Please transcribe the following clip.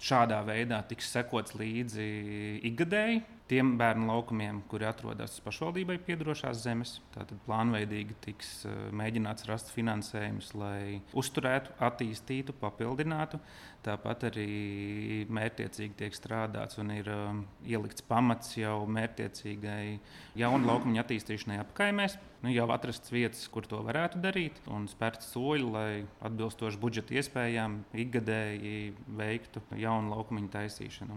šādā veidā tiks sekots līdzi ikgadēji tiem bērnu laukumiem, kuri atrodas pašvaldībai piederošās zemes. Tātad plānveidīgi tiks mēģināts rast finansējumus, lai uzturētu, attīstītu, papildinātu. Tāpat arī mērķtiecīgi tiek strādāts un ir ielikts pamats jau mērķtiecīgai jaunu laukumu attīstīšanai apkaimēs. Jau atrasts vietas, kur to varētu darīt, un spērts soļi, lai atbilstoši budžeta iespējām ikgadēji veiktu jaunu laukumu taisīšanu.